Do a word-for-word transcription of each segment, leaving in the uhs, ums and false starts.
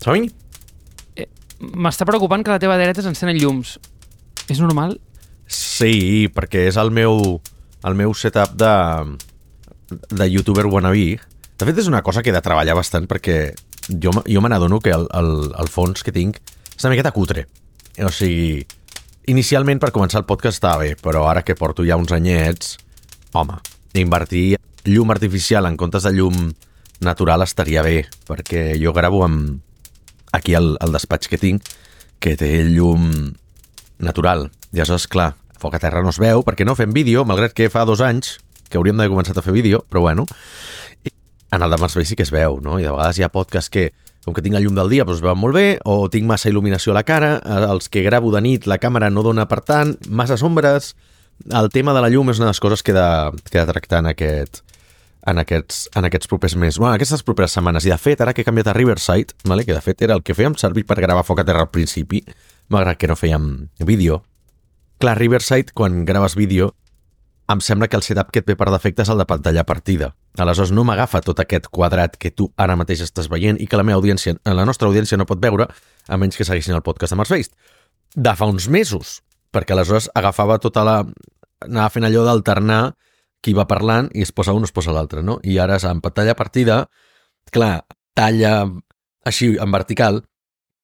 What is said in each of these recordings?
Som-hi? Eh, M'està preocupant que a la teva dreta s'encenen llums. És normal? Sí, perquè és el meu, el meu setup de, de youtuber wannabe. De fet, és una cosa que he de treballar bastant perquè jo, jo me n'adono que el, el, el fons que tinc és una miqueta cutre. O sigui, inicialment per començar el podcast estava bé, però ara que porto ja uns anyets, home, invertir llum artificial en comptes de llum natural estaria bé, perquè jo gravo amb aquí el, el despatx que tinc, que té llum natural. I aleshores, clar, foc a terra no es veu, perquè no fem vídeo, malgrat que fa dos anys que hauríem d'haver començat a fer vídeo, però bueno, en el de Mars Bay sí que es veu, no? I de vegades hi ha podcasts que, com que tinc la llum del dia, doncs es veuen molt bé, o tinc massa il·luminació a la cara, els que gravo de nit la càmera no dona per tant, massa ombres. El tema de la llum és una de les coses que he de, que he de tractar en, aquest, en, aquests, en aquests propers mesos, bueno, aquestes properes setmanes. I de fet, ara que he canviat a Riverside, vale? Que de fet era el que fèiem servir per gravar foc a terra al principi, malgrat que no fèiem vídeo. Clar, Riverside, quan graves vídeo, em sembla que el setup que et ve per defecte és el de pantalla partida. Aleshores no m'agafa tot aquest quadrat que tu ara mateix estàs veient i que la meva audiència, la nostra audiència no pot veure, a menys que segueixin el podcast de Mars Based. De fa uns mesos, perquè aleshores agafava tota la... anava fent allò d'alternar qui va parlant i es posa un o es posa l'altre, no? I ara en pantalla partida, clar, talla així en vertical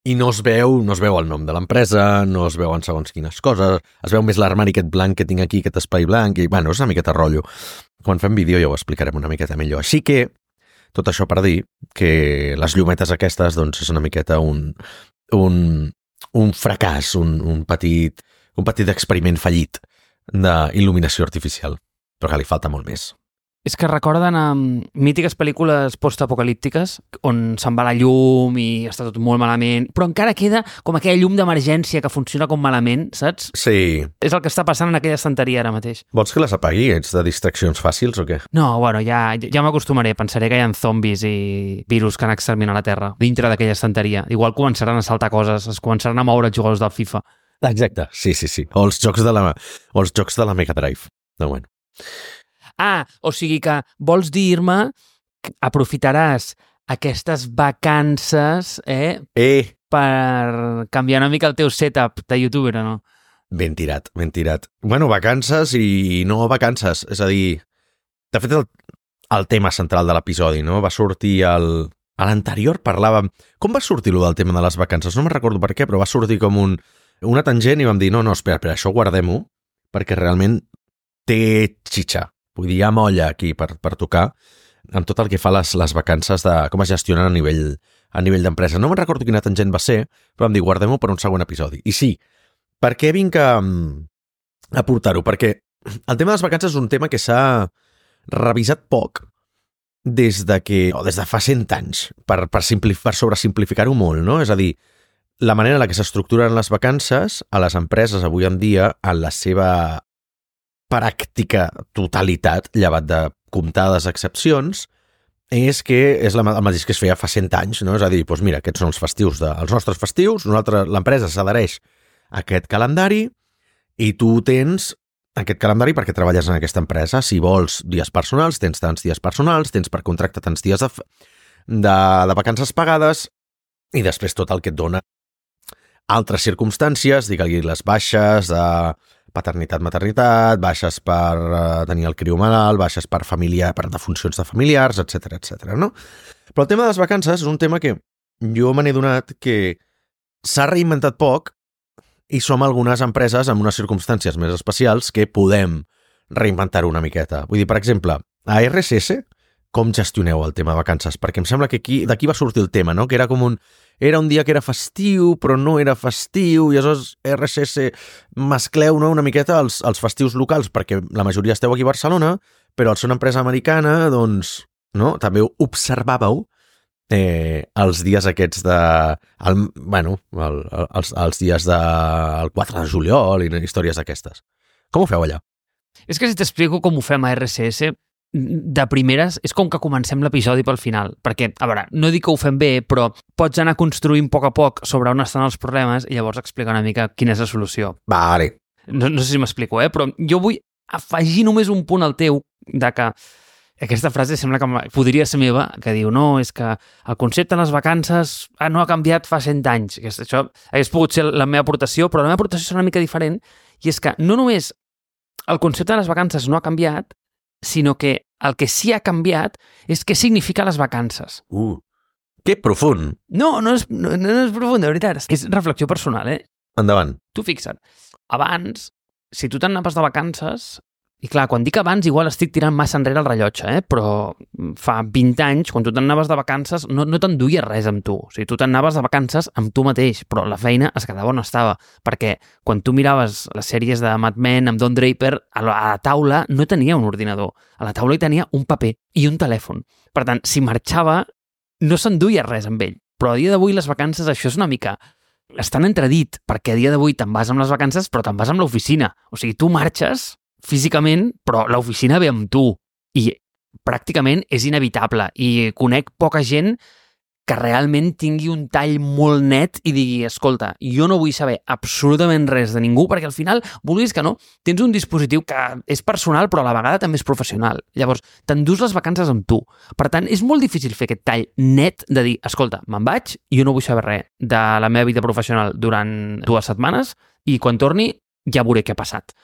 i no es veu, no es veu el nom de l'empresa, no es veuen segons quines coses, es veu més l'armari aquest blanc que tinc aquí, aquest espai blanc, i bueno, és una miqueta rotllo. Quan fem vídeo ja ho explicarem una miqueta millor. Així que, tot això per dir que les llumetes aquestes, doncs, és una miqueta un, un, un fracàs, un, un petit, un petit experiment fallit d'il·luminació artificial, però que li falta molt més. És que recorden um, mítiques pel·lícules postapocalíptiques on se'n va la llum i està tot molt malament, però encara queda com aquella llum d'emergència que funciona com malament, saps? Sí. És el que està passant en aquella estanteria ara mateix. Vols que les apagui? Ets de distraccions fàcils o què? No, bueno, ja, ja m'acostumaré. Pensaré que hi ha zombis i virus que han exterminat la Terra dintre d'aquella estanteria. Igual començaran a saltar coses, es començaran a moure els jugadors del FIFA. Exacte, sí, sí, sí. O els jocs de la, o els jocs de la Mega Drive. No, bueno. Ah, o sigui que vols dir-me que aprofitaràs aquestes vacances eh, Eh! per canviar una mica el teu setup de youtuber, o no? Ben tirat, ben tirat. Bueno, vacances i no vacances. És a dir, de fet, el, el tema central de l'episodi, no? Va sortir el... A l'anterior parlàvem... Com va sortir lo del tema de les vacances? No me'n recordo per què, però va sortir com un, una tangent i vam dir, no, no, espera, espera, això guardem-ho, perquè realment té xitxa. Vull dir, hi ha molla aquí per, per tocar amb tot el que fa les, les vacances de com es gestionen a nivell, a nivell d'empresa. No me'n recordo quina tangent va ser, però vam dir, guardem-ho per un següent episodi. I sí, per què vinc a, a portar-ho? Perquè el tema de les vacances és un tema que s'ha revisat poc des de que, o des de fa cent anys, per, per, per sobresimplificar-ho molt, no? És a dir, la manera en la que s'estructuren les vacances a les empreses avui en dia, en la seva pràctica totalitat, llevat de comptades excepcions, és que és la, el mateix que es feia fa cent anys, no? És a dir, doncs mira, aquests són els festius, de, els nostres festius, nosaltres, l'empresa s'adhereix a aquest calendari i tu tens aquest calendari perquè treballes en aquesta empresa. Si vols dies personals, tens tants dies personals, tens per contracte tants dies de, de, de vacances pagades i després tot el que et dona altres circumstàncies, digue-li les baixes de paternitat, maternitat, baixes per uh, tenir el criu malalt, baixes per familiar, per defuncions de familiars, etcètera, etcètera, no? Però el tema de les vacances és un tema que jo me n'he donat que s'ha reinventat poc i som algunes empreses amb unes circumstàncies més especials que podem reinventar-ho una miqueta. Vull dir, per exemple, a R S S, com gestioneu el tema de vacances? Perquè em sembla que aquí d'aquí va sortir el tema, no? Que era com un... Era un dia que era festiu, però no era festiu, i aleshores R S S mescleu, no, una miqueta els, els festius locals, perquè la majoria esteu aquí a Barcelona, però al ser una empresa americana, doncs, no, també observàveu eh, els dies aquests de... El, bueno, el, els, els dies del quatre de juliol i històries d'aquestes. Com ho feu allà? És que si t'explico com ho fem a R S S, de primeres és com que comencem l'episodi pel final, perquè, a veure, no dic que ho fem bé, però pots anar construint a poc a poc sobre on estan els problemes i llavors explicar una mica quina és la solució. Vale. No, no sé si m'explico, eh? Però jo vull afegir només un punt al teu de que Aquesta frase sembla que podria ser meva, que diu, no, és que el concepte de les vacances ah, no ha canviat fa cent anys. Això hagués pogut ser la meva aportació, però la meva aportació és una mica diferent, i és que no només el concepte de les vacances no ha canviat, sinó que el que sí ha canviat és què significa les vacances. Uh, que profund. No, no és, no, no és profund, de veritat. És reflexió personal, eh? Endavant. Tu fixa't, abans, si tu t'anaves de vacances... I clar, quan dic abans, igual estic tirant massa enrere el rellotge, eh? Però fa vint anys, quan tu t'anaves de vacances, no, no t'enduies res amb tu. O sigui, tu t'anaves de vacances amb tu mateix, però la feina es quedava on estava. Perquè quan tu miraves les sèries de Mad Men amb Don Draper, a la, a la taula no tenia un ordinador. A la taula hi tenia un paper i un telèfon. Per tant, si marxava, no s'enduia res amb ell. Però a dia d'avui les vacances, això és una mica... estan entredit, perquè a dia d'avui te'n vas amb les vacances, però te'n vas amb l'oficina. O sigui, tu marxes físicament, però l'oficina ve amb tu i pràcticament és inevitable i conec poca gent que realment tingui un tall molt net i digui, escolta, jo no vull saber absolutament res de ningú perquè al final, vulguis que no, tens un dispositiu que és personal però a la vegada també és professional. Llavors, t'endús les vacances amb tu. Per tant, és molt difícil fer aquest tall net de dir, escolta, me'n vaig i jo no vull saber res de la meva vida professional durant dues setmanes i quan torni ja veuré què ha passat.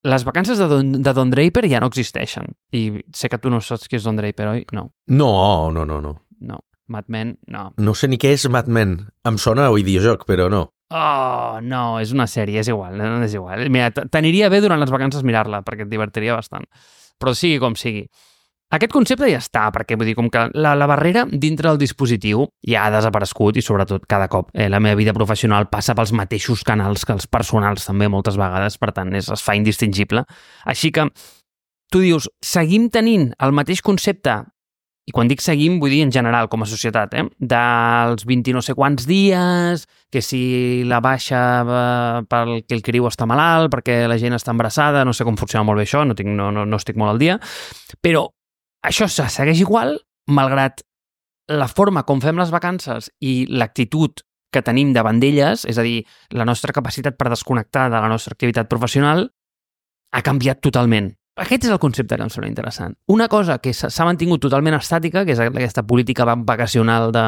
Les vacances de Don, de Don Draper ja no existeixen. I sé que tu no saps qui és Don Draper, oi? No. No, no, no, no. No. Mad Men, no. No sé ni què és Mad Men. Em sona a videojoc, però no. Oh, no, és una sèrie, és igual, no, és igual. Mira, t'aniria bé durant les vacances mirar-la, perquè et divertiria bastant. Però sigui com sigui. Aquest concepte ja està, perquè vull dir, com que la, la barrera dintre del dispositiu ja ha desaparegut i sobretot cada cop eh, la meva vida professional passa pels mateixos canals que els personals també moltes vegades, per tant és, es fa indistingible. Així que tu dius, seguim tenint el mateix concepte, i quan dic seguim vull dir en general com a societat, eh? Dels vint i no sé quants dies, que si la baixa eh, perquè el criu està malalt, perquè la gent està embarassada, no sé com funciona molt bé això, no, tinc, no, no, no estic molt al dia, però això se segueix igual, malgrat la forma com fem les vacances i l'actitud que tenim davant d'elles, és a dir, la nostra capacitat per desconnectar de la nostra activitat professional, ha canviat totalment. Aquest és el concepte que em sembla interessant. Una cosa que s'ha mantingut totalment estàtica, que és aquesta política vacacional de...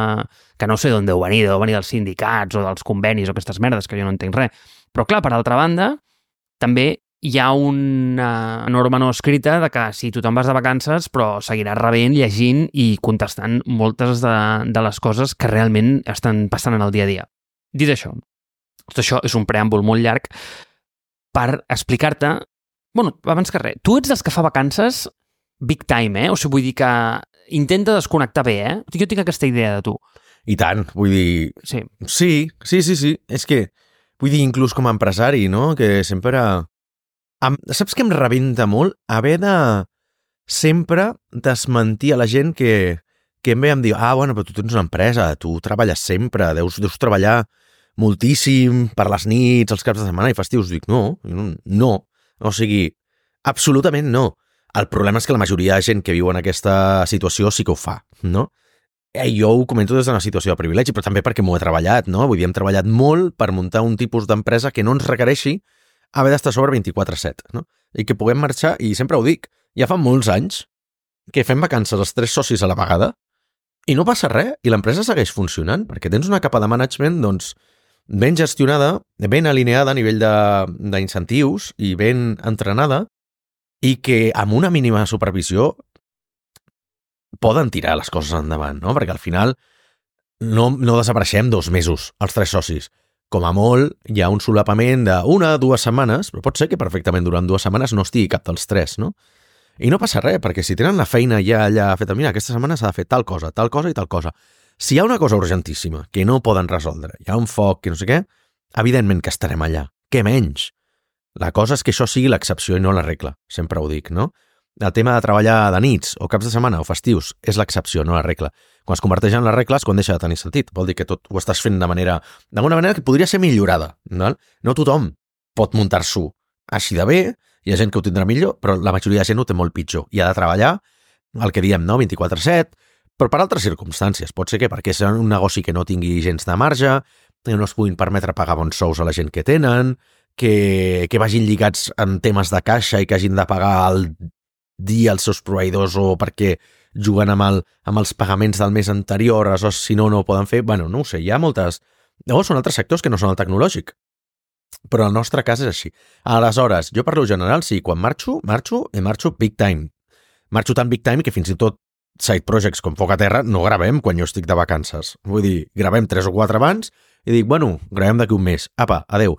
que no sé d'on deu venir, deu venir dels sindicats o dels convenis o aquestes merdes, que jo no entenc res. Però clar, per altra banda, també hi ha una norma no escrita de que si tu te'n vas de vacances però seguiràs rebent, llegint i contestant moltes de, de les coses que realment estan passant en el dia a dia. Dit això, tot això és un preàmbul molt llarg per explicar-te, bueno, abans que res, tu ets dels que fa vacances big time, eh? O sigui, vull dir que intenta desconnectar bé, eh? Jo tinc aquesta idea de tu. I tant, vull dir... Sí. Sí, sí, sí, sí. És que, vull dir, inclús com a empresari, no? Que sempre... Em, saps què em rebenta molt? Haver de sempre desmentir a la gent que, que em ve em diu, ah, bueno, però tu tens una empresa, tu treballes sempre, deus, deus treballar moltíssim per les nits, els caps de setmana i festius. Dic, no, no, o sigui, absolutament no. El problema és que la majoria de gent que viu en aquesta situació sí que ho fa, no? Eh, jo ho comento des d'una situació de privilegi, però també perquè m'ho he treballat, no? Vull dir, hem treballat molt per muntar un tipus d'empresa que no ens requereixi haver d'estar sobre vint-i-quatre set, no? I que puguem marxar, i sempre ho dic, ja fa molts anys que fem vacances els tres socis a la vegada i no passa res, i l'empresa segueix funcionant, perquè tens una capa de management, doncs, ben gestionada, ben alineada a nivell d'incentius i ben entrenada, i que amb una mínima supervisió poden tirar les coses endavant, no? Perquè al final no, no desapareixem dos mesos, els tres socis. Com a molt, hi ha un solapament d'una o dues setmanes, però pot ser que perfectament durant dues setmanes no estigui cap dels tres, no? I no passa res, perquè si tenen la feina ja allà feta, mira, aquesta setmana s'ha de fer tal cosa, tal cosa i tal cosa. Si hi ha una cosa urgentíssima que no poden resoldre, hi ha un foc, que no sé què, evidentment que estarem allà. Què menys? La cosa és que això sigui l'excepció i no la regla, sempre ho dic, no? El tema de treballar de nits o caps de setmana o festius és l'excepció, no la regla. Quan es converteix en la regla és quan deixa de tenir sentit. Vol dir que tot ho estàs fent de manera, d'alguna manera que podria ser millorada. No, no tothom pot muntar-s'ho així de bé, hi ha gent que ho tindrà millor, però la majoria de gent ho té molt pitjor. I ha de treballar, el que diem, no, vint-i-quatre set, però per altres circumstàncies. Pot ser que perquè és un negoci que no tingui gens de marge, que no es puguin permetre pagar bons sous a la gent que tenen, que, que vagin lligats en temes de caixa i que hagin de pagar el dir als seus proveïdors o perquè juguen amb, el, amb els pagaments del mes anterior, aleshores si no, no ho poden fer. Bueno, no ho sé, hi ha moltes... Llavors són altres sectors que no són el tecnològic. Però el nostre cas és així. Aleshores, jo parlo general, sí, quan marxo, marxo i marxo big time. Marxo tan big time que fins i tot side projects com Foc a Terra no gravem quan jo estic de vacances. Vull dir, gravem tres o quatre abans i dic, bueno, gravem d'aquí un mes. Apa, adeu.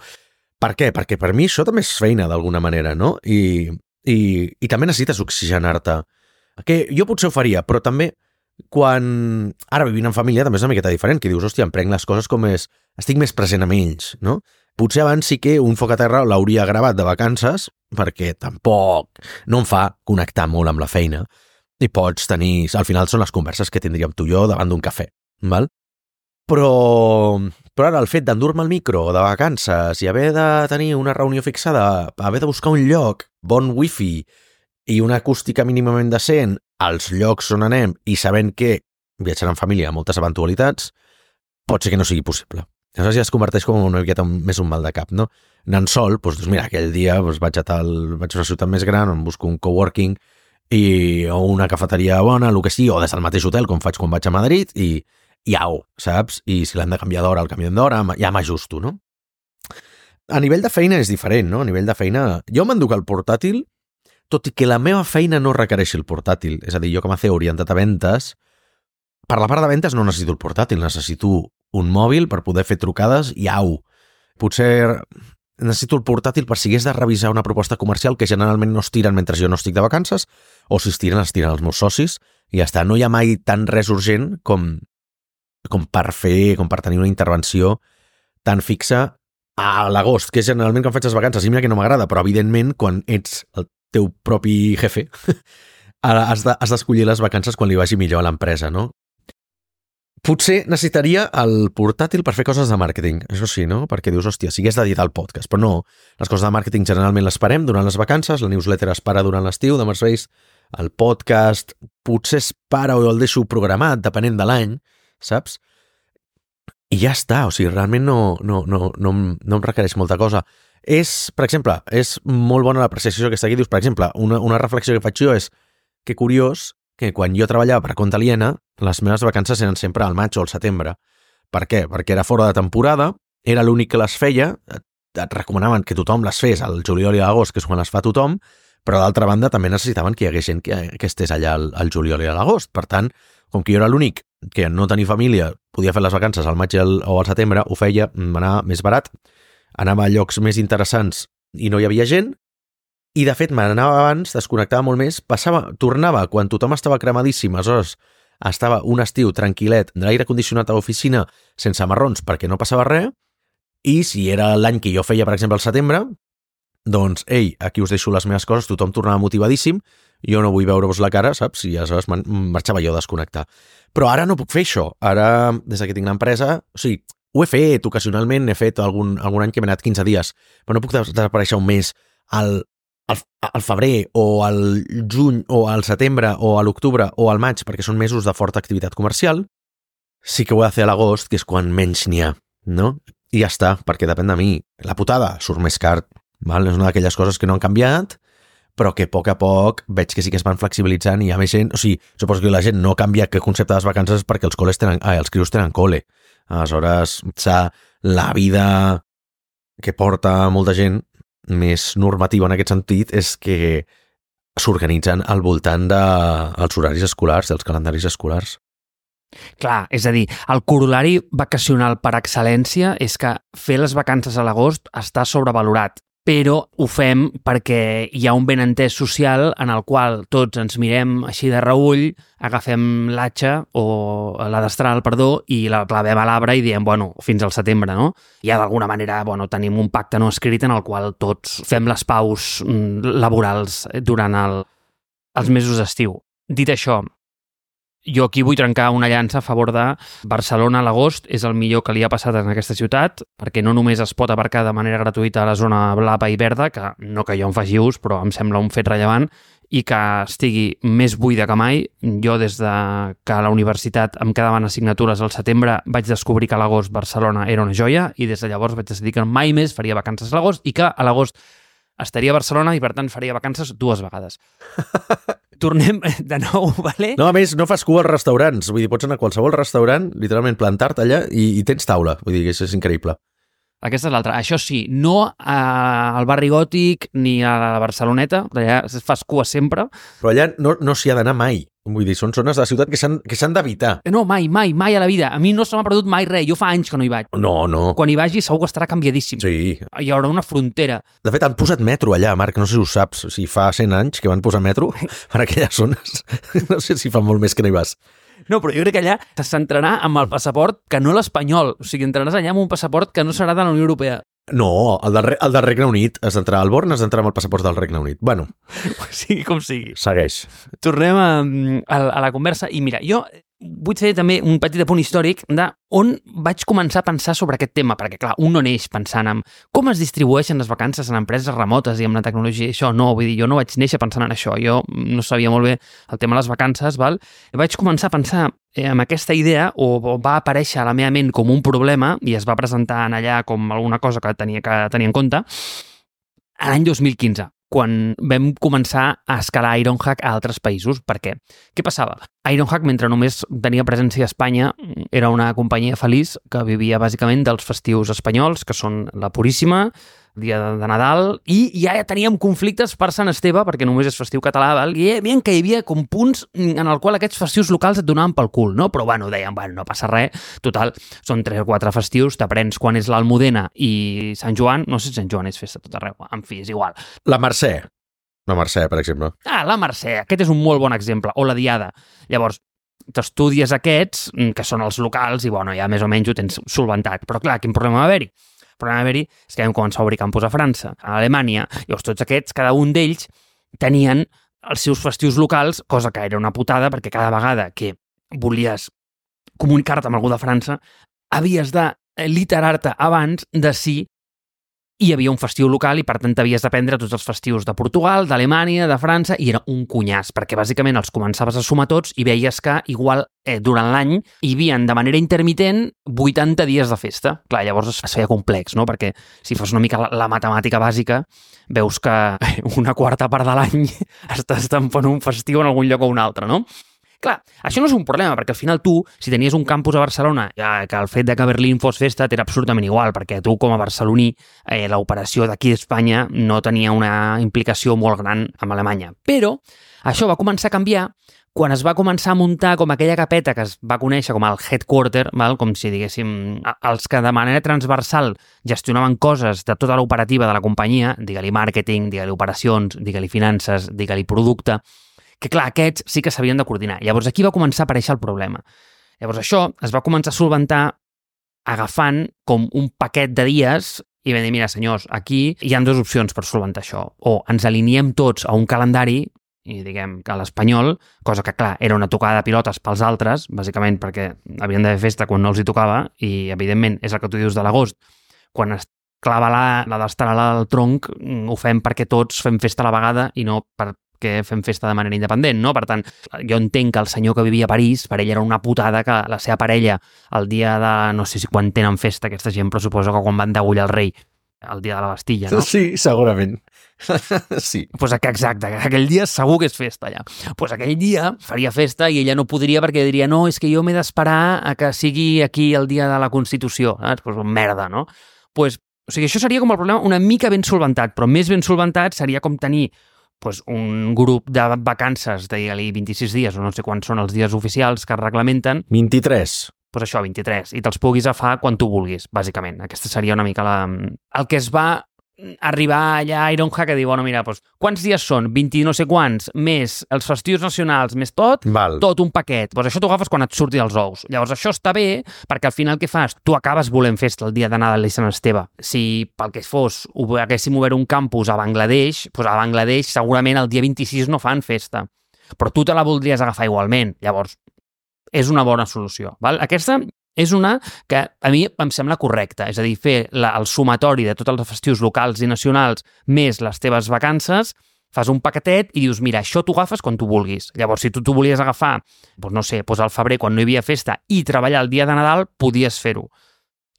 Per què? Perquè per mi això també és feina d'alguna manera, no? I, i, i també necessites oxigenar-te. Que jo potser ho faria, però també quan... Ara vivint en família també és una miqueta diferent, que dius, hòstia, em prenc les coses com és... Estic més present amb ells, no? Potser abans sí que un Foc a Terra l'hauria gravat de vacances, perquè tampoc no em fa connectar molt amb la feina. I pots tenir... Al final són les converses que tindríem tu i jo davant d'un cafè, val? Però... Però ara el fet d'endur-me el micro de vacances i haver de tenir una reunió fixada, haver de buscar un lloc, bon wifi i una acústica mínimament decent als llocs on anem i sabent que viatjar en família ha moltes eventualitats, pot ser que no sigui possible. Aleshores ja es converteix com una miqueta més un mal de cap, no? Anant sol, doncs, doncs mira, aquell dia doncs, vaig a tal, vaig a una ciutat més gran on busco un coworking i, o una cafeteria bona, el que sigui, o des del mateix hotel, com faig quan vaig a Madrid, i, i au, saps? I si l'han de canviar d'hora, el canviem d'hora, ja m'ajusto, no? A nivell de feina és diferent, no? A nivell de feina... Jo m'enduc el portàtil, tot i que la meva feina no requereixi el portàtil. És a dir, jo com a C E O orientat a ventes, per la part de ventes no necessito el portàtil, necessito un mòbil per poder fer trucades i au. Potser necessito el portàtil per si hagués de revisar una proposta comercial que generalment no es tiren mentre jo no estic de vacances, o si es tiren, es tiren els meus socis, i ja està. No hi ha mai tan res urgent com, com per fer, com per tenir una intervenció tan fixa a l'agost, que és generalment quan faig les vacances. I mira que no m'agrada, però evidentment quan ets el teu propi jefe has de, has d'escollir les vacances quan li vagi millor a l'empresa, no? Potser necessitaria el portàtil per fer coses de màrqueting, això sí, no? Perquè dius, hòstia, si hagués d'editar el podcast, però no, les coses de màrqueting generalment les parem durant les vacances, la newsletter es para durant l'estiu de Mercedes, el podcast potser es para o el deixo programat, depenent de l'any, saps? I ja està, o sigui, realment no, no, no, no, no em requereix molta cosa. És, per exemple, és molt bona l'apreciació que està aquí. Dius, per exemple, una, una reflexió que faig jo és que curiós que quan jo treballava per compte aliena, les meves vacances eren sempre al maig o al setembre. Per què? Perquè era fora de temporada, era l'únic que les feia, et, et recomanaven que tothom les fes al juliol i a l'agost, que és quan les fa tothom, però d'altra banda també necessitaven que hi hagués gent que, que estés allà al, al juliol i a l'agost. Per tant, com que jo era l'únic que no tenia família, podia fer les vacances al maig o al setembre, ho feia, m'anava més barat, anava a llocs més interessants i no hi havia gent, i de fet m'anava abans, desconnectava molt més, passava, tornava quan tothom estava cremadíssim, aleshores estava un estiu tranquil·let, de l'aire condicionat a l'oficina, sense marrons perquè no passava res, i si era l'any que jo feia, per exemple, al setembre, doncs, ei, aquí us deixo les meves coses, tothom tornava motivadíssim, jo no vull veure-vos la cara, saps? I aleshores marxava jo a desconnectar. Però ara no puc fer això. Ara, des que tinc l'empresa, o sigui, ho he fet ocasionalment, he fet algun, algun any que m'he anat quinze dies, però no puc desaparèixer un mes al, al, al febrer o al juny o al setembre o a l'octubre o al maig, perquè són mesos de forta activitat comercial. Sí que ho he de fer a l'agost, que és quan menys n'hi ha, no? I ja està, perquè depèn de mi. La putada surt més car, val? És una d'aquelles coses que no han canviat, però que a poc a poc veig que sí que es van flexibilitzant i hi ha més gent. O sigui, suposo que la gent no canvia que concepte de les vacances perquè els col·les tenen, ah, els crios tenen col·le. Aleshores, la vida que porta molta gent més normativa en aquest sentit és que s'organitzen al voltant dels horaris escolars, dels calendaris escolars. Clar, és a dir, el corolari vacacional per excel·lència és que fer les vacances a l'agost està sobrevalorat, però ho fem perquè hi ha un benentès social en el qual tots ens mirem així de reull, agafem l'atxa o la destral, perdó, i la clavem a l'arbre i diem, bueno, fins al setembre, no? Ja d'alguna manera, bueno, tenim un pacte no escrit en el qual tots fem les paus laborals durant el, els mesos d'estiu. Dit això, jo aquí vull trencar una llança a favor de Barcelona a l'agost, és el millor que li ha passat en aquesta ciutat, perquè no només es pot aparcar de manera gratuïta a la zona blava i verda, que no que jo en faci ús, però em sembla un fet rellevant, i que estigui més buida que mai. Jo, des de que a la universitat em quedaven assignatures al setembre, vaig descobrir que a l'agost Barcelona era una joia, i des de llavors vaig decidir que mai més faria vacances a l'agost, i que a l'agost estaria a Barcelona i, per tant, faria vacances dues vegades. Tornem de nou, vale? No, a més, no fas cua als restaurants. Vull dir, pots anar a qualsevol restaurant, literalment plantar-te allà i, i tens taula. Vull dir que això és increïble. Aquesta és l'altra. Això sí, no al barri gòtic ni a la Barceloneta, allà fas cua sempre. Però allà no, no s'hi ha d'anar mai. Vull dir, són zones de la ciutat que s'han que s'han d'evitar. No, mai, mai, mai a la vida. A mi no se m'ha perdut mai res. Jo fa anys que no hi vaig. No, no. Quan hi vagi segur que estarà canviadíssim. Sí. Hi haurà una frontera. De fet, han posat metro allà, Marc, no sé si ho saps. Si fa cent anys que van posar metro per aquelles zones. No sé si fa molt més que no hi vas. No, però jo crec que allà s'entrarà amb el passaport que no l'espanyol. O sigui, entraràs allà amb un passaport que no serà de la Unió Europea. No, el del, el del Regne Unit. Has d'entrar al Born, has d'entrar amb el passaport del Regne Unit. Bueno. Sigui com sigui. Segueix. Tornem a, a, a la conversa. I mira, jo vull fer també un petit apunt històric de on vaig començar a pensar sobre aquest tema, perquè clar, un no neix pensant en com es distribueixen les vacances en empreses remotes i amb la tecnologia i això, no, vull dir, jo no vaig néixer pensant en això, jo no sabia molt bé el tema de les vacances, val? I vaig començar a pensar eh, en aquesta idea, o, o va aparèixer a la meva ment com un problema i es va presentar en allà com alguna cosa que tenia que tenir en compte, l'any dos mil quinze. Quan vam començar a escalar Ironhack a altres països. Per què? Què passava? Ironhack, mentre només tenia presència a Espanya, era una companyia feliç que vivia bàsicament dels festius espanyols, que són la Puríssima, dia de Nadal, i ja teníem conflictes per Sant Esteve, perquè només és festiu català, val? I hi havia, que hi havia com punts en el qual aquests festius locals et donaven pel cul, no? Però bueno, deien, bueno, no passa res, total, són tres o quatre festius, t'aprens quan és l'Almudena i Sant Joan, no sé si Sant Joan és festa tot arreu, en fi, és igual. La Mercè. La Mercè, per exemple. Ah, la Mercè, aquest és un molt bon exemple, o la Diada. Llavors, t'estudies aquests, que són els locals, i bueno, ja més o menys ho tens solventat. Però clar, quin problema va haver-hi? El problema va haver-hi és que vam començar a obrir campus a França, a Alemanya, llavors tots aquests, cada un d'ells, tenien els seus festius locals, cosa que era una putada, perquè cada vegada que volies comunicar-te amb algú de França, havies de literar-te abans de si hi havia un festiu local i, per tant, havies d'aprendre tots els festius de Portugal, d'Alemanya, de França, i era un cunyàs, perquè bàsicament els començaves a sumar tots i veies que, igual, eh, durant l'any hi havia, de manera intermitent, vuitanta dies de festa. Clar, llavors es feia complex, no? Perquè si fos una mica la, la matemàtica bàsica, veus que una quarta part de l'any estàs tampant un festiu en algun lloc o un altre, no? Clar, això no és un problema, perquè al final tu, si tenies un campus a Barcelona, ja, que el fet de que Berlín fos festa t'era absolutament igual, perquè tu, com a barceloní, eh, l'operació d'aquí d'Espanya no tenia una implicació molt gran amb Alemanya. Però això va començar a canviar quan es va començar a muntar com aquella capeta que es va conèixer com el headquarter, val? Com si diguéssim, els que de manera transversal gestionaven coses de tota l'operativa de la companyia, digue-li màrqueting, digue-li operacions, digue-li finances, digue-li producte, que clar, aquests sí que s'havien de coordinar. Llavors aquí va començar a aparèixer el problema. Llavors això es va començar a solventar agafant com un paquet de dies i vam dir, mira senyors, aquí hi ha dues opcions per solventar això. O ens aliniem tots a un calendari, i diguem que a l'espanyol, cosa que clar, era una tocada de pilotes pels altres, bàsicament perquè havien de fer festa quan no els hi tocava, i evidentment és el que tu dius de l'agost, quan es clava la, la d'estarà al tronc, ho fem perquè tots fem festa a la vegada i no per que fem festa de manera independent, no? Per tant, jo entenc que el senyor que vivia a París, per ell era una putada que la seva parella, el dia de, no sé si quan tenen festa aquesta gent, però suposo que quan van degullar el rei, el dia de la Bastilla, no? Sí, segurament. Sí. Pues exacte, aquell dia segur que és festa allà. Pues aquell dia faria festa i ella no podria perquè diria, no, és que jo m'he d'esperar a que sigui aquí el dia de la Constitució. Saps? Pues merda, no? Pues, o sigui, això seria com el problema una mica ben solventat, però més ben solventat seria com tenir pues, un grup de vacances de vint-i-sis dies, o no sé quants són els dies oficials que es reglamenten. vint-i-tres. Pues això, vint-i-tres, i te'ls puguis agafar quan tu vulguis, bàsicament. Aquesta seria una mica la... el que es va arribar allà a Ironhack a dir, bueno, mira, doncs, quants dies són? vint no sé quants, més els festius nacionals, més tot, Val. tot un paquet. Doncs això t'ho agafes quan et surti els ous. Llavors això està bé, perquè al final què fas? Tu acabes volent festa el dia de Nadal i Sant Esteve. Si pel que fos haguéssim obert un campus a Bangladesh, doncs a Bangladesh segurament el dia vint-i-sis no fan festa. Però tu te la voldries agafar igualment. Llavors, és una bona solució. Val? Aquesta és una que a mi em sembla correcta, és a dir, fer la, el sumatori de tots els festius locals i nacionals més les teves vacances, fas un paquetet i dius, mira, això t'ho agafes quan tu vulguis. Llavors, si tu t'ho volies agafar, doncs no sé, doncs al febrer, quan no hi havia festa, i treballar el dia de Nadal, podies fer-ho.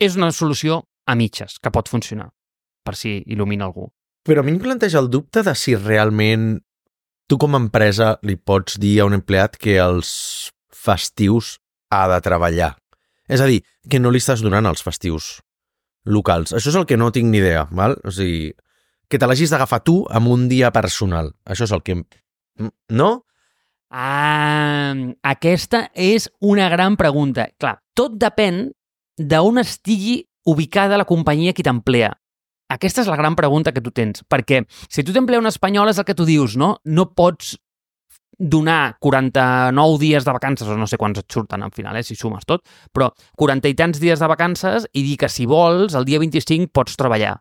És una solució a mitges, que pot funcionar, per si il·lumina algú. Però a mi em planteja el dubte de si realment tu com a empresa li pots dir a un empleat que els festius ha de treballar. És a dir, que no li estàs donant els festius locals. Això és el que no tinc ni idea, val? O sigui, que te l'hagis d'agafar tu amb un dia personal. Això és el que... No? Ah, aquesta és una gran pregunta. Clar, tot depèn d'on estigui ubicada la companyia que t'emplea. Aquesta és la gran pregunta que tu tens, perquè si tu t'emplea un espanyol és el que tu dius, no? No pots donar quaranta-nou dies de vacances, o no sé quants et surten al final, eh, si sumes tot, però quaranta i tants dies de vacances i dir que si vols, el dia vint-i-cinc pots treballar.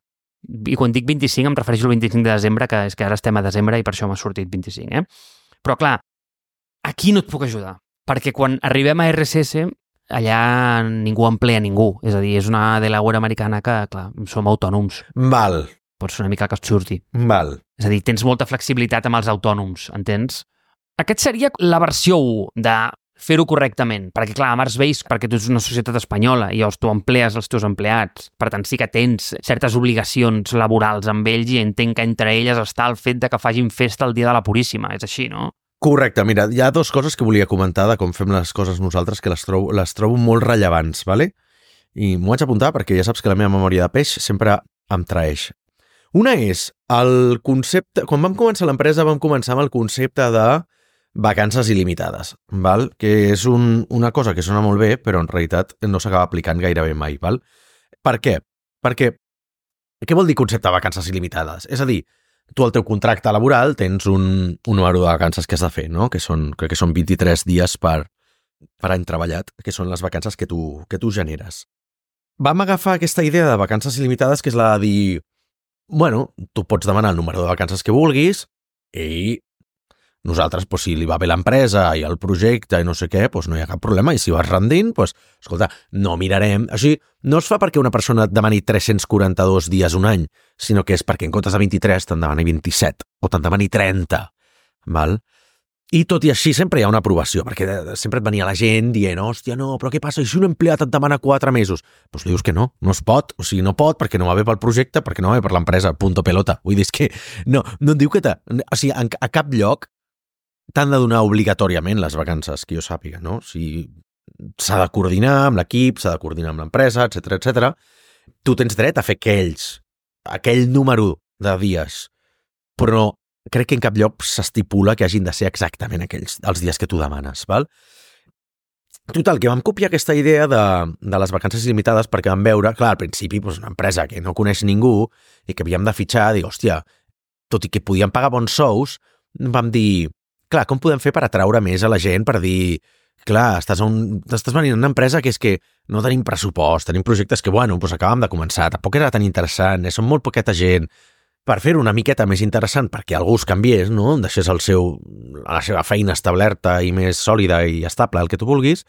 I quan dic vint-i-cinc em refereixo al vint-i-cinc de desembre, que és que ara estem a desembre i per això m'ha sortit vint-i-cinc, eh? Però clar, aquí no et puc ajudar, perquè quan arribem a R S S allà ningú emplea ningú, és a dir, és una Delaware americana que, clar, som autònoms. Val. Pots fer una mica que et surti. Val. És a dir, tens molta flexibilitat amb els autònoms, entens? Aquest seria la versió u de fer-ho correctament, perquè clar, a Mars Base, perquè tu ets una societat espanyola i llavors tu emplees els teus empleats, per tant sí que tens certes obligacions laborals amb ells i entenc que entre elles està el fet de que facin festa el dia de la Puríssima, és així, no? Correcte, mira, hi ha dues coses que volia comentar de com fem les coses nosaltres que les trobo, les trobo molt rellevants, ¿vale? I m'ho vaig apuntar perquè ja saps que la meva memòria de peix sempre em traeix. Una és el concepte... Quan vam començar l'empresa vam començar amb el concepte de vacances il·limitades, val? Que és un, una cosa que sona molt bé, però en realitat no s'acaba aplicant gairebé mai. Val? Per què? Perquè què vol dir concepte de vacances il·limitades? És a dir, tu al teu contracte laboral tens un, un número de vacances que has de fer, no? Que són, crec que són vint-i-tres dies per, per any treballat, que són les vacances que tu, que tu generes. Vam agafar aquesta idea de vacances il·limitades, que és la de dir, bueno, tu pots demanar el número de vacances que vulguis i nosaltres, pues, si li va bé l'empresa i el projecte i no sé què, pues, no hi ha cap problema. I si vas rendint, pues, escolta, no mirarem. Així, no es fa perquè una persona et demani tres-cents quaranta-dos dies un any, sinó que és perquè en comptes de vint-i-tres te'n demani vint-i-set o te'n demani trenta. Val? I tot i així sempre hi ha una aprovació, perquè sempre et venia la gent dient, hòstia, no, però què passa? I si un empleat et demana quatre mesos? Doncs li dius que no, no es pot. O sigui, no pot perquè no va bé pel projecte, perquè no va bé per l'empresa, punto pelota. Vull dir, és que no, no et diu que... Te... O sigui, a cap lloc t'han de donar obligatòriament les vacances, que jo sàpiga, no? O sigui, s'ha de coordinar amb l'equip, s'ha de coordinar amb l'empresa, etcètera, etcètera. Tu tens dret a fer aquells, aquell número de dies, però crec que en cap lloc s'estipula que hagin de ser exactament aquells, els dies que tu demanes, val? Total, que vam copiar aquesta idea de, de les vacances il·limitades perquè vam veure, clar, al principi, doncs, una empresa que no coneix ningú i que havíem de fitxar, dir, hòstia, tot i que podíem pagar bons sous, vam dir, clar, com podem fer per atraure més a la gent, per dir, clar, estàs, un, estàs venint a una empresa que és que no tenim pressupost, tenim projectes que, bueno, doncs acabem de començar, tampoc era tan interessant, eh, som molt poqueta gent, per fer-ho una miqueta més interessant perquè algú es canviés, no? Deixés el seu, la seva feina establerta i més sòlida i estable, el que tu vulguis,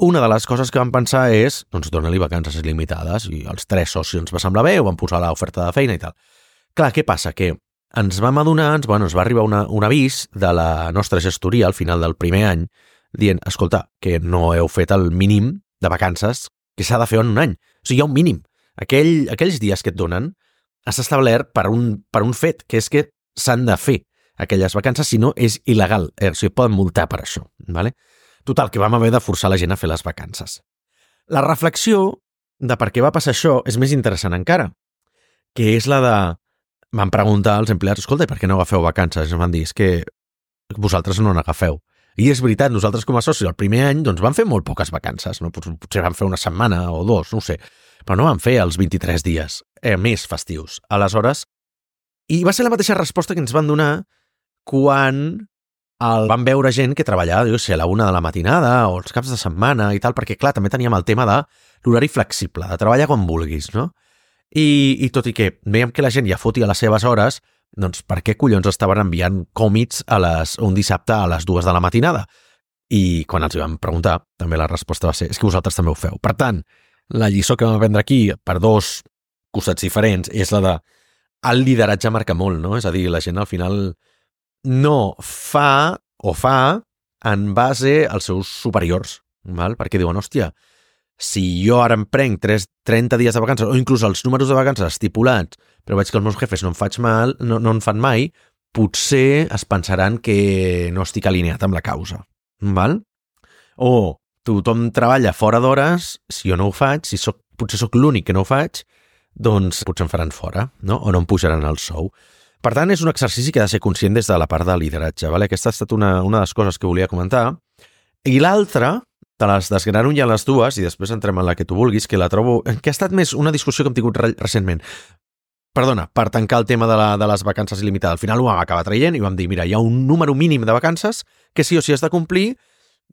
una de les coses que vam pensar és, doncs, dona-li vacances il·limitades, i els tres socis ens va semblar bé, ho vam posar a l'oferta de feina i tal. Clar, què passa? Que ens vam adonar, ens, bueno, ens va arribar una, un avís de la nostra gestoria al final del primer any, dient, escolta, que no heu fet el mínim de vacances que s'ha de fer en un any. O sigui, hi ha un mínim. Aquell, aquells dies que et donen has establert per un, per un fet, que és que s'han de fer aquelles vacances, si no és il·legal. Eh, o sigui, poden multar per això. ¿Vale? Total, que vam haver de forçar la gent a fer les vacances. La reflexió de per què va passar això és més interessant encara, que és la de... Van preguntar als empleats, escolta, per què no agafeu vacances? I ens van dir, és que vosaltres no n'agafeu. I és veritat, nosaltres com a socis el primer any doncs vam fer molt poques vacances, no? Potser vam fer una setmana o dos, no ho sé, però no vam fer els vint-i-tres dies eh, més festius. Aleshores, i va ser la mateixa resposta que ens van donar quan el van veure gent que treballava, jo sé, a la una de la matinada o els caps de setmana i tal, perquè clar, també teníem el tema de l'horari flexible, de treballar quan vulguis, no? I, i tot i que veiem que la gent ja fotia les seves hores, doncs per què collons estaven enviant còmits a les, un dissabte a les dues de la matinada? I quan els vam preguntar, també la resposta va ser, és que vosaltres també ho feu. Per tant, la lliçó que vam aprendre aquí, per dos costats diferents, és la de el lideratge marca molt, no? És a dir, la gent al final no fa o fa en base als seus superiors, val? Perquè diuen, hòstia, si jo ara em prenc trenta dies de vacances, o inclús els números de vacances estipulats, però veig que els meus jefes no em faig mal, no, no en fan mai, potser es pensaran que no estic alineat amb la causa. Val? O tothom treballa fora d'hores, si jo no ho faig, si soc, potser sóc l'únic que no ho faig, doncs potser em faran fora, no? O no em pujaran el sou. Per tant, és un exercici que ha de ser conscient des de la part de lideratge. Vale? Aquesta ha estat una, una de les coses que volia comentar. I l'altra, te les desgrano ja les dues i després entrem en la que tu vulguis, que la trobo... que ha estat més una discussió que hem tingut re recentment. Perdona, per tancar el tema de, la, de les vacances il·limitades. Al final ho vam acabar traient i vam dir, mira, hi ha un número mínim de vacances que sí o sí has de complir,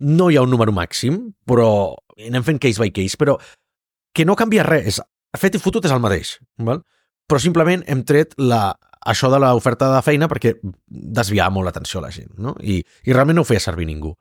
no hi ha un número màxim, però anem fent case by case, però que no canvia res. Fet i fotut és el mateix, val? Però simplement hem tret la, això de l'oferta de feina perquè desviava molt l'atenció a la gent, no? I, i realment no ho feia servir ningú.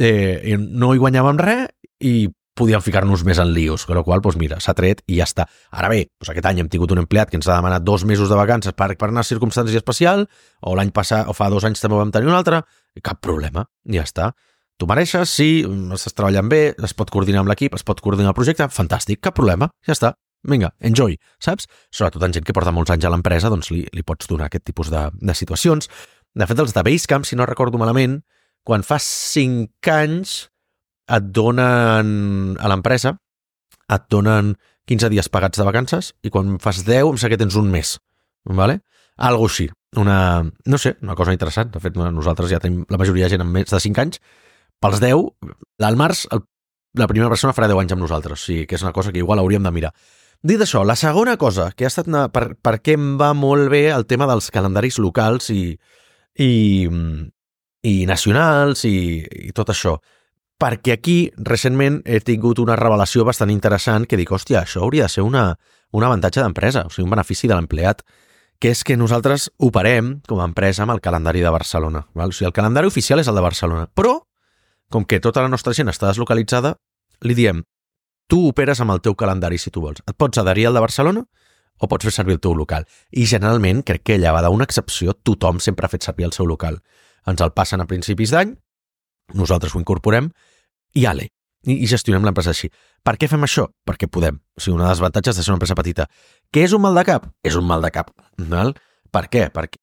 Eh, no hi guanyàvem res i podíem ficar-nos més en lios, amb la qual cosa, doncs mira, s'ha tret i ja està. Ara bé, doncs aquest any hem tingut un empleat que ens ha demanat dos mesos de vacances per, per anar a circumstància especial, o l'any passat, o fa dos anys també vam tenir un altre, i cap problema, ja està. Tu mereixes, sí, estàs treballant bé, es pot coordinar amb l'equip, es pot coordinar el projecte, fantàstic, cap problema, ja està. Vinga, enjoy, saps? Sobretot en gent que porta molts anys a l'empresa, doncs li, li pots donar aquest tipus de, de situacions. De fet, els de Basecamp, si no recordo malament, quan fa cinc anys et donen a l'empresa, et donen quinze dies pagats de vacances i quan fas deu, em sembla que tens un mes. ¿Vale? Algo així. Una, no sé, una cosa interessant. De fet, nosaltres ja tenim la majoria de gent amb més de cinc anys. Pels deu, al març, el, la primera persona farà deu anys amb nosaltres. O sigui, que és una cosa que igual hauríem de mirar. Dit això, la segona cosa, que ha estat una, per, per què em va molt bé el tema dels calendaris locals i, i, i nacionals i, i tot això. Perquè aquí, recentment, he tingut una revelació bastant interessant que dic, hòstia, això hauria de ser una, un avantatge d'empresa, o sigui, un benefici de l'empleat, que és que nosaltres operem com a empresa amb el calendari de Barcelona. Val? O sigui, el calendari oficial és el de Barcelona, però, com que tota la nostra gent està deslocalitzada, li diem, tu operes amb el teu calendari si tu vols. Et pots adherir al de Barcelona o pots fer servir el teu local. I generalment, crec que llevada una excepció, tothom sempre ha fet servir el seu local. Ens el passen a principis d'any, nosaltres ho incorporem i ale, i, i gestionem l'empresa així. Per què fem això? Perquè podem. O sigui, una dels avantatges de ser una empresa petita. Què és un mal de cap? És un mal de cap. Val? Per què? Perquè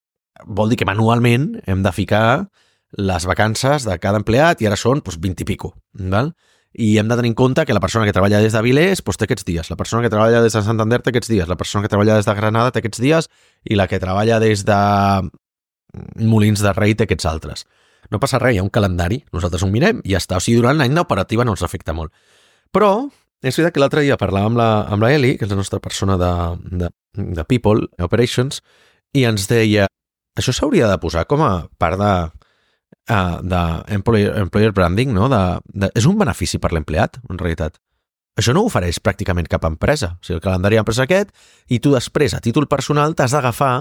vol dir que manualment hem de ficar les vacances de cada empleat i ara són doncs, vint i pico. Val? I hem de tenir en compte que la persona que treballa des de Vilés doncs, té aquests dies, la persona que treballa des de Santander té aquests dies, la persona que treballa des de Granada té aquests dies i la que treballa des de Molins de Rei té aquests altres. No passa res, hi ha un calendari, nosaltres ho mirem i ja està. O sigui, durant l'any d'operativa no ens afecta molt. Però és veritat que l'altre dia parlàvem amb la, amb la Eli, que és la nostra persona de, de, de People, Operations, i ens deia, això s'hauria de posar com a part de, uh, de employer, employer branding, no? De, de, és un benefici per l'empleat, en realitat. Això no ho ofereix pràcticament cap empresa. O sigui, el calendari d'empresa aquest, i tu després, a títol personal, t'has d'agafar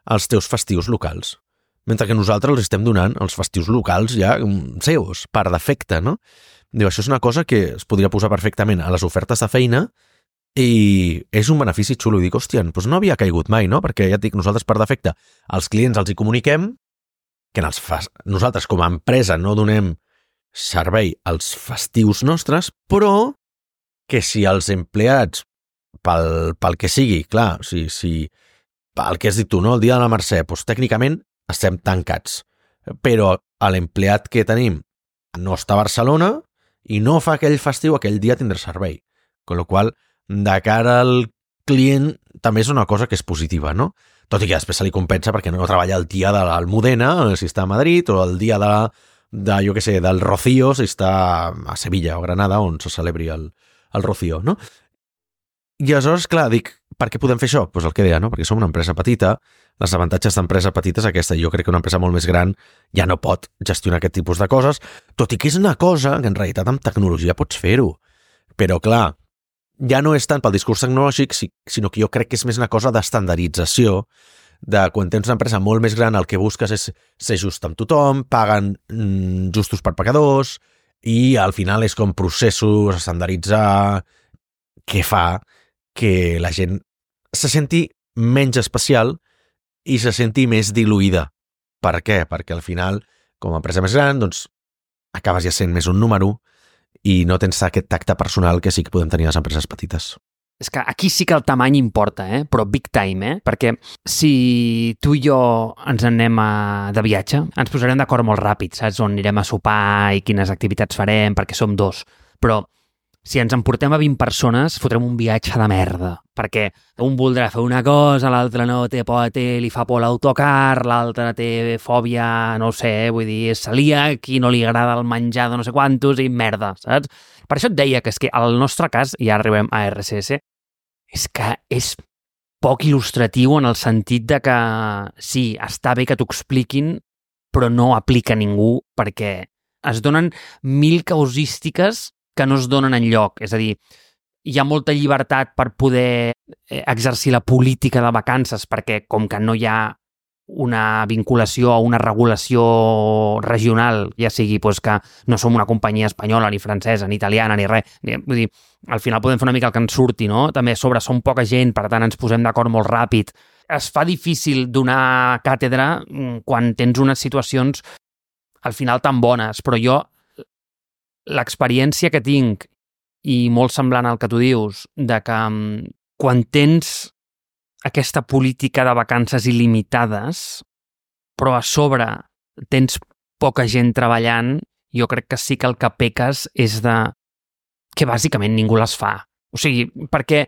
els teus festius locals. Mentre que nosaltres els estem donant els festius locals ja seus, per defecte, no? Diu, això és una cosa que es podria posar perfectament a les ofertes de feina i és un benefici xulo. I dic, hòstia, doncs no havia caigut mai, no? Perquè ja et dic, nosaltres per defecte als clients els hi comuniquem que en els fas... nosaltres com a empresa no donem servei als festius nostres, però que si els empleats, pel, pel que sigui, clar, o sigui, si el que has dit tu, no? El dia de la Mercè, doncs tècnicament estem tancats, però l'empleat que tenim no està a Barcelona i no fa aquell festiu, aquell dia tindrà servei. Con lo qual, de cara al client, també és una cosa que és positiva, no? Tot i que després se li compensa perquè no treballa el dia de l'Almudena, si està a Madrid, o el dia de, de jo què sé, del Rocío, si està a Sevilla o Granada, on se celebri el, el Rocío, no? I aleshores, clar, dic, per què podem fer això? Doncs pues el que deia, no? Perquè som una empresa petita, les avantatges d'empresa petita és aquesta. Jo crec que una empresa molt més gran ja no pot gestionar aquest tipus de coses, tot i que és una cosa que en realitat amb tecnologia pots fer-ho. Però, clar, ja no és tant pel discurs tecnològic, sinó que jo crec que és més una cosa d'estandardització, de quan tens una empresa molt més gran el que busques és ser just amb tothom, paguen mm, justos per pecadors, i al final és com processos, estandarditzar, que fa que la gent se senti menys especial i se senti més diluïda. Per què? Perquè al final, com a empresa més gran, doncs, acabes ja sent més un número i no tens aquest tacte personal que sí que podem tenir les empreses petites. És que aquí sí que el tamany importa, eh? Però big time, eh? Perquè si tu i jo ens anem a... de viatge, ens posarem d'acord molt ràpid, saps? On anirem a sopar i quines activitats farem, perquè som dos. Però si ens emportem a vint persones, fotrem un viatge de merda, perquè un voldrà fer una cosa, l'altre no té por, té, li fa por l'autocar, l'altre té fòbia, no ho sé, vull dir, és celíac i no li agrada el menjar de no sé quantos i merda, saps? Per això et deia que és que el nostre cas, i ja arribem a R C S, és que és poc il·lustratiu en el sentit de que sí, està bé que t'ho expliquin, però no aplica a ningú perquè es donen mil causístiques que no es donen enlloc. És a dir, hi ha molta llibertat per poder exercir la política de vacances perquè com que no hi ha una vinculació o una regulació regional, ja sigui pues, que no som una companyia espanyola, ni francesa, ni italiana, ni res. Vull dir, al final podem fer una mica el que ens surti, no? També a sobre som poca gent, per tant ens posem d'acord molt ràpid. Es fa difícil donar càtedra quan tens unes situacions al final tan bones, però jo l'experiència que tinc i molt semblant al que tu dius, de que quan tens aquesta política de vacances il·limitades, però a sobre tens poca gent treballant, jo crec que sí que el que peques és de que bàsicament ningú les fa. O sigui, perquè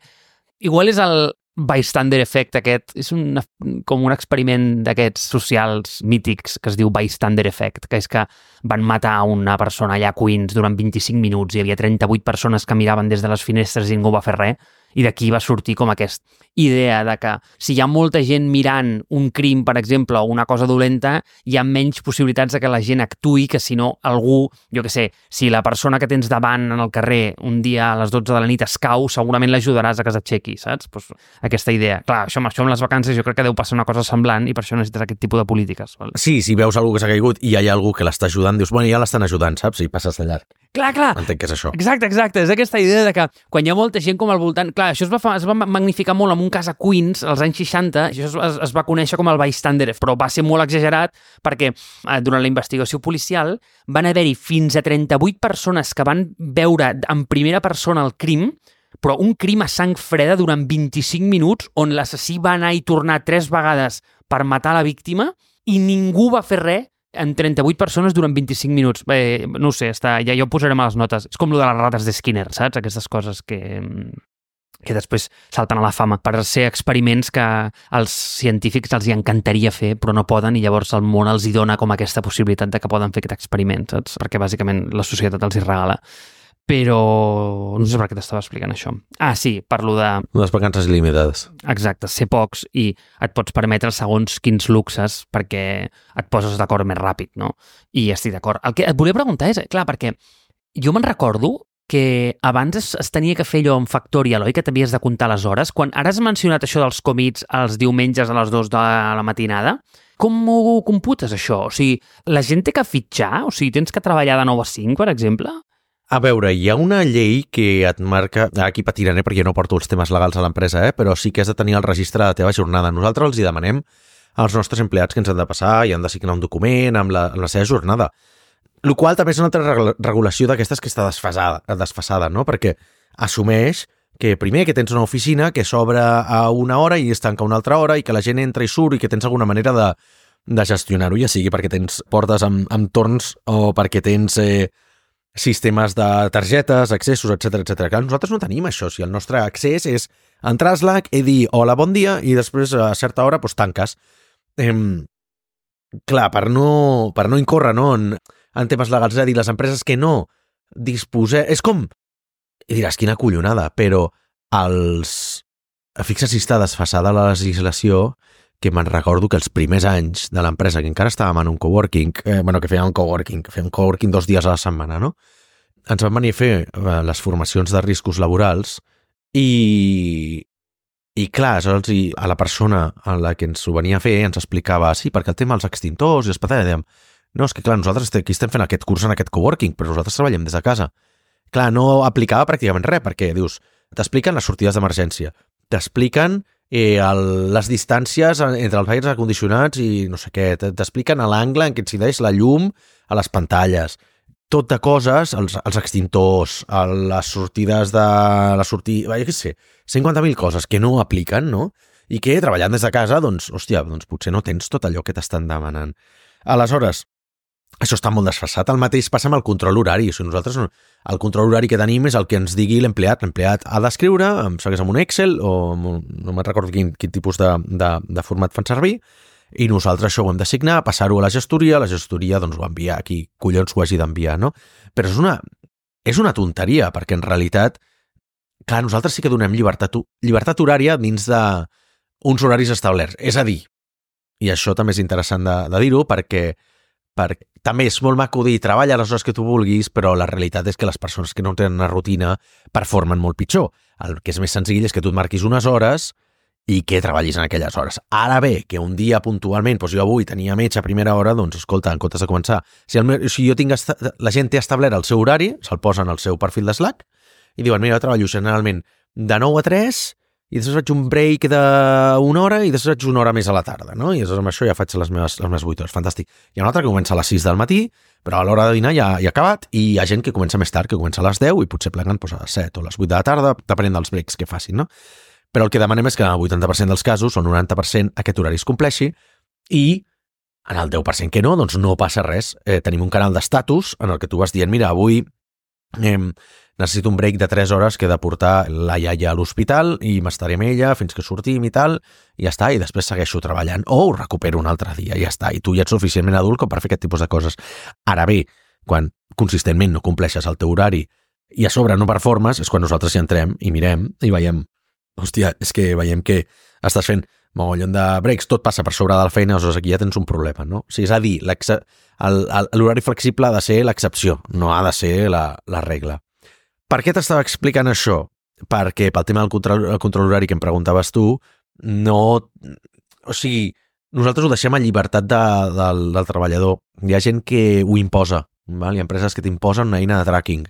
igual és el bystander effect aquest, és un, com un experiment d'aquests socials mítics que es diu bystander effect, que és que van matar una persona allà a Queens durant vint-i-cinc minuts, hi havia trenta-vuit persones que miraven des de les finestres i ningú va fer res, i d'aquí va sortir com aquesta idea de que si hi ha molta gent mirant un crim, per exemple, o una cosa dolenta, hi ha menys possibilitats de que la gent actuï que si no algú, jo què sé, si la persona que tens davant en el carrer un dia a les dotze de la nit es cau, segurament l'ajudaràs a que s'aixequi, saps? Pues aquesta idea. Clar, això, això amb les vacances jo crec que deu passar una cosa semblant i per això necessites aquest tipus de polítiques. Val? Sí, si veus algú que s'ha caigut i hi ha algú que l'està ajudant, dius, bueno, ja l'estan ajudant, saps? I passes de llarg. Clar, clar. Entenc que és això. Exacte, exacte. És aquesta idea de que quan hi ha molta gent com al voltant... Clar, això es va, fa, es va magnificar molt en un cas a Queens, als anys seixanta, això es, es, es va conèixer com el bystander, però va ser molt exagerat perquè eh, durant la investigació policial van haver-hi fins a trenta-vuit persones que van veure en primera persona el crim, però un crim a sang freda durant vint-i-cinc minuts on l'assassí va anar i tornar tres vegades per matar la víctima i ningú va fer res en trenta-vuit persones durant vint-i-cinc minuts. Bé, no ho sé, està, ja, ja ho posarem a les notes. És com lo de les rates de Skinner, saps? Aquestes coses que, que després salten a la fama per ser experiments que als científics els hi encantaria fer, però no poden, i llavors el món els hi dona com aquesta possibilitat de que poden fer aquest experiment, saps? Perquè bàsicament la societat els hi regala. Però no sé per què t'estava explicant això. Ah, sí, parlo de... Les vacances il·limitades. Exacte, ser pocs i et pots permetre segons quins luxes perquè et poses d'acord més ràpid, no? I estic d'acord. El que et volia preguntar és, clar, perquè jo me'n recordo que abans es, es tenia que fer allò en Factorial, oi? Que t'havies de comptar les hores. Quan ara has mencionat això dels comits els diumenges a les dues de la matinada, com ho computes, això? O sigui, la gent té que fitxar? O sigui, tens que treballar de nou a cinc, per exemple? A veure, hi ha una llei que et marca... Aquí patiré perquè no porto els temes legals a l'empresa, eh? Però sí que has de tenir el registre de la teva jornada. Nosaltres els hi demanem als nostres empleats que ens han de passar i han de signar un document amb la, amb la seva jornada. El qual també és una altra regulació d'aquestes que està desfasada, desfasada, no? Perquè assumeix que primer que tens una oficina que s'obre a una hora i es tanca una altra hora i que la gent entra i surt i que tens alguna manera de, de gestionar-ho, ja sigui perquè tens portes amb, amb torns o perquè tens... Eh, sistemes de targetes, accessos, etcètera, etcètera. Clar, nosaltres no tenim això. Si el nostre accés és entrar a Slack i dir hola, bon dia, i després a certa hora doncs, tanques. Eh, clar, per no, per no incórrer no, en, en temes legals, és a dir, les empreses que no disposem... És com... I diràs, quina collonada, però els... Fixa't si està desfasada la legislació, que me'n recordo que els primers anys de l'empresa, que encara estàvem en un coworking, eh, bueno, que fèiem un coworking, que fèiem coworking dos dies a la setmana, no? Ens van venir a fer eh, les formacions de riscos laborals i, i clar, aleshores, i a la persona a la que ens ho venia a fer ens explicava, sí, perquè el tema dels extintors i les patates, dèiem, no, és que clar, nosaltres aquí estem fent aquest curs en aquest coworking, però nosaltres treballem des de casa. Clar, no aplicava pràcticament res, perquè, dius, t'expliquen les sortides d'emergència, t'expliquen eh, el, les distàncies entre els aires acondicionats i no sé què, t'expliquen l'angle en què incideix la llum a les pantalles, tot de coses, els, els extintors, les sortides de... la sortida, jo què sé, cinquanta mil coses que no apliquen, no? I que treballant des de casa, doncs, hòstia, doncs potser no tens tot allò que t'estan demanant. Aleshores, això està molt desfasat. El mateix passa amb el control horari. O sigui, nosaltres, el control horari que tenim és el que ens digui l'empleat. L'empleat ha d'escriure, em segueix amb un Excel, o un, no me'n recordo quin, quin tipus de, de, de format fan servir, i nosaltres això ho hem d'assignar, passar-ho a la gestoria, la gestoria doncs ho envia a qui collons ho hagi d'enviar, no? Però és una, és una tonteria, perquè en realitat, clar, nosaltres sí que donem llibertat, llibertat horària dins de uns horaris establerts. És a dir, i això també és interessant de, de dir-ho, perquè, perquè també és molt maco dir treballa les hores que tu vulguis, però la realitat és que les persones que no tenen una rutina performen molt pitjor. El que és més senzill és que tu et marquis unes hores i que treballis en aquelles hores. Ara bé, que un dia puntualment, doncs jo avui tenia metge a primera hora, doncs escolta, en comptes de començar, si, el, si jo tinc la gent té establert el seu horari, se'l posen al seu perfil de Slack i diuen, mira, jo treballo generalment de nou a tres i després faig un break d'una hora i després faig una hora més a la tarda, no? I després amb això ja faig les meves, les meves vuit hores. Fantàstic. Hi ha un altre que comença a les sis del matí, però a l'hora de dinar ja, ja ha acabat, i hi ha gent que comença més tard, que comença a les deu i potser pleguen doncs, a les set o a les vuit de la tarda, depenent dels breaks que facin, no? Però el que demanem és que en el vuitanta per cent dels casos, o el noranta per cent, aquest horari es compleixi, i en el deu per cent que no, doncs no passa res. Eh, tenim un canal d'estatus en el que tu vas dient, mira, avui eh, necessito un break de tres hores que he de portar la iaia a l'hospital i m'estaré amb ella fins que sortim i tal, i ja està, i després segueixo treballant, o ho recupero un altre dia, i ja està, i tu ja ets suficientment adult com per fer aquest tipus de coses. Ara bé, quan consistentment no compleixes el teu horari i a sobre no performes, és quan nosaltres hi entrem i mirem i veiem, hòstia, és que veiem que estàs fent mogollon de breaks, tot passa per sobre de la feina, aleshores aquí ja tens un problema, no? O sigui, és a dir, l'horari flexible ha de ser l'excepció, no ha de ser la, la regla. Per què t'estava explicant això? Perquè pel tema del control, el control horari que em preguntaves tu, no... O sigui, nosaltres ho deixem a llibertat de, del, del treballador. Hi ha gent que ho imposa, val? Hi ha empreses que t'imposen una eina de tracking.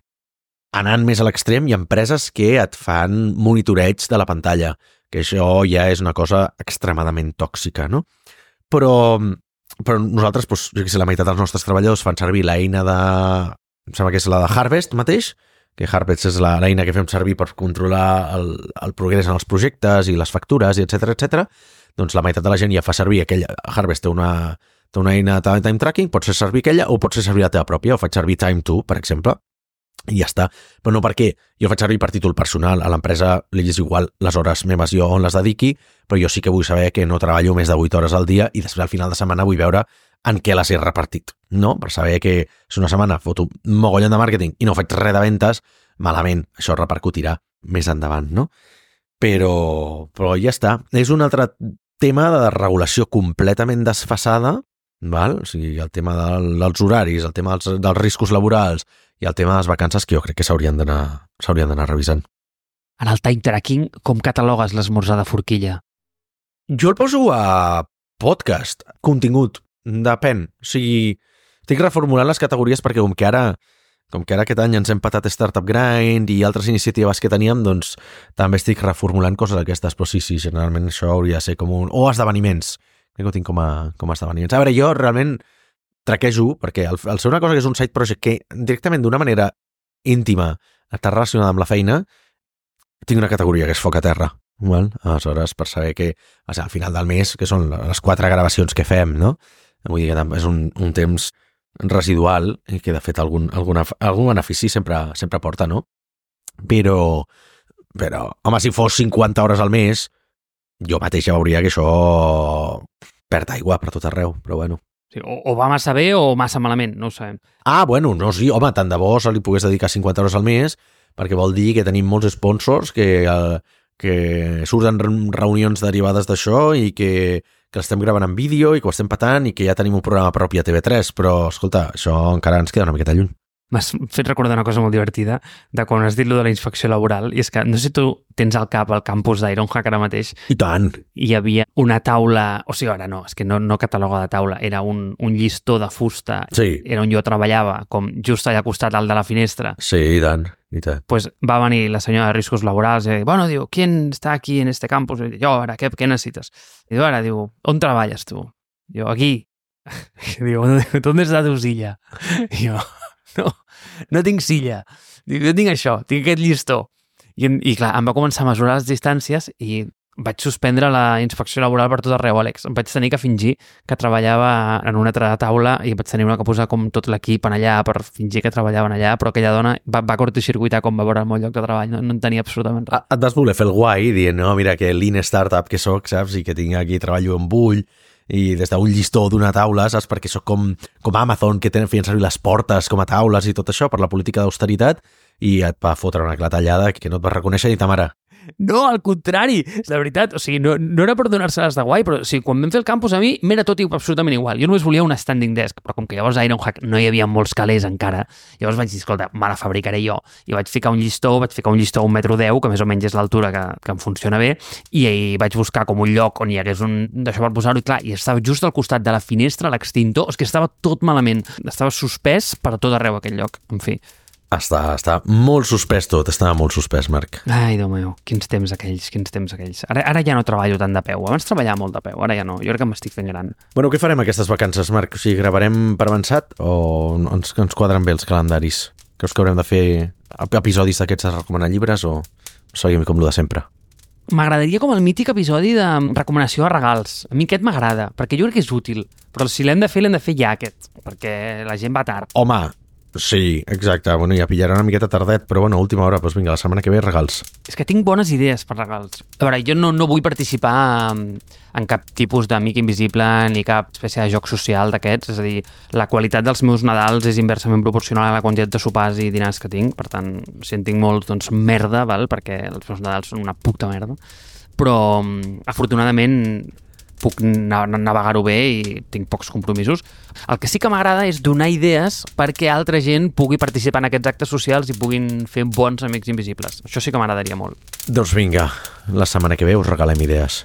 Anant més a l'extrem, hi ha empreses que et fan monitoreig de la pantalla, que això ja és una cosa extremadament tòxica, no? Però, però nosaltres, doncs, jo què sé, la meitat dels nostres treballadors fan servir l'eina de... Em sembla que és la de Harvest mateix, que Harvest és l'eina que fem servir per controlar el, el progrés en els projectes i les factures, i etcètera, etcètera. Doncs la meitat de la gent ja fa servir aquella... Harvest té una, té una eina de time tracking, pot ser servir aquella o pot ser servir la teva pròpia, o faig servir Time two, per exemple, i ja està. Però no perquè jo faig servir per títol personal, a l'empresa li és igual les hores meves jo on les dediqui, però jo sí que vull saber que no treballo més de vuit hores al dia i després al final de setmana vull veure en què les he repartit, no? Per saber que si una setmana foto un mogollon de màrqueting i no faig res de ventes, malament, això repercutirà més endavant, no? Però, però ja està. És un altre tema de regulació completament desfasada, val? O sigui, el tema del, dels horaris, el tema dels, dels riscos laborals i el tema de les vacances que jo crec que s'haurien d'anar s'haurien d'anar revisant. En el time tracking, com catalogues l'esmorzar de forquilla? Jo el poso a podcast, contingut, depèn. O sigui, estic reformulant les categories perquè com que ara com que ara aquest any ens hem patat Startup Grind i altres iniciatives que teníem, doncs també estic reformulant coses d'aquestes, però sí, sí, generalment això hauria de ser com un... O esdeveniments, crec que ho tinc com a, com a esdeveniments. A veure, jo realment traquejo, perquè al, al ser una cosa que és un side project que directament d'una manera íntima està relacionada amb la feina, tinc una categoria que és foc a terra, val? Aleshores, per saber que o sigui, al final del mes, que són les quatre gravacions que fem, no? Vull dir que és un, un temps residual i que de fet algun, alguna, algun benefici sempre, sempre porta, no? Però, però, home, si fos cinquanta hores al mes, jo mateix ja veuria que això perd aigua per tot arreu, però bueno. Sí, o, o va massa bé o massa malament, no ho sabem. Ah, bueno, no, sí, home, tant de bo se li pogués dedicar cinquanta hores al mes, perquè vol dir que tenim molts sponsors que, que surten reunions derivades d'això i que, que l'estem gravant en vídeo i que ho estem patant i que ja tenim un programa propi a T V tres, però, escolta, això encara ens queda una miqueta lluny. M'has fet recordar una cosa molt divertida de quan has dit lo de la inspecció laboral, i és que no sé si tu tens al cap el campus d'Ironhack ara mateix. I tant! I hi havia una taula, o sigui, ara no, és que no, no cataloga de taula, era un, un llistó de fusta, sí. Era on jo treballava, com just allà al costat al de la finestra. Sí, i tant, i tant. Pues va venir la senyora de riscos laborals i bueno, diu, ¿quién está aquí en este campus? I jo, ara, què, què necessites? I diu, ara, diu, on treballes tu? Jo, aquí. I diu, ¿dónde está tu silla? I jo... no, no tinc silla. Dic, jo tinc això, tinc aquest llistó. I, I clar, em va començar a mesurar les distàncies i vaig suspendre la inspecció laboral per tot arreu, Àlex. Em vaig tenir que fingir que treballava en una altra taula i vaig tenir que posar com tot l'equip en allà per fingir que treballaven allà, però aquella dona va, va cortocircuitar com va veure el meu lloc de treball, no, no en tenia absolutament res. Et vas voler fer el guai dient, no, mira que lean startup que soc, saps, i que tinc aquí, treballo amb ull, i des d'un llistó d'una taula, saps, perquè sóc com, com Amazon, que tenen, feien servir les portes com a taules i tot això per la política d'austeritat, i et va fotre una clatellada que no et vas reconèixer ni ta mare. No, al contrari, de veritat, o sigui, no, no era per donar-se-les de guai, però o sigui, quan vam fer el campus a mi m'era tot absolutament igual. Jo només volia un standing desk, però com que llavors a Ironhack no hi havia molts calés encara, llavors vaig dir, escolta, me la fabricaré jo. I vaig ficar un llistó, vaig ficar un llistó a un metro deu, que més o menys és l'altura que, que em funciona bé, i vaig buscar com un lloc on hi hagués un d'això per posar-ho, i clar, i estava just al costat de la finestra, l'extintor, és que estava tot malament, estava suspès per tot arreu aquell lloc, en fi. Està, està molt suspès tot, estava molt suspès, Marc. Ai, Déu meu, quins temps aquells, quins temps aquells. Ara, ara ja no treballo tant de peu, abans treballava molt de peu, ara ja no, jo crec que m'estic fent gran. Bueno, què farem aquestes vacances, Marc? O sigui, gravarem per avançat o ens, ens quadren bé els calendaris? Creus que haurem de fer episodis d'aquests de recomanar llibres o seguim com el de sempre? M'agradaria com el mític episodi de recomanació de regals. A mi aquest m'agrada, perquè jo crec que és útil, però si l'hem de fer, l'hem de fer ja aquest, perquè la gent va tard. Home, sí, exacte. Bueno, ja pillarà una miqueta tardet, però bueno, a última hora, doncs vinga, la setmana que ve regals. És que tinc bones idees per regals. A veure, jo no, no vull participar en, en cap tipus d'amic invisible ni cap espècie de joc social d'aquests, és a dir, la qualitat dels meus Nadals és inversament proporcional a la quantitat de sopars i dinars que tinc, per tant, si en tinc molts, doncs merda, val? Perquè els meus Nadals són una puta merda. Però, afortunadament, puc navegar-ho bé i tinc pocs compromisos. El que sí que m'agrada és donar idees perquè altra gent pugui participar en aquests actes socials i puguin fer bons amics invisibles. Això sí que m'agradaria molt. Doncs vinga, la setmana que ve us regalem idees.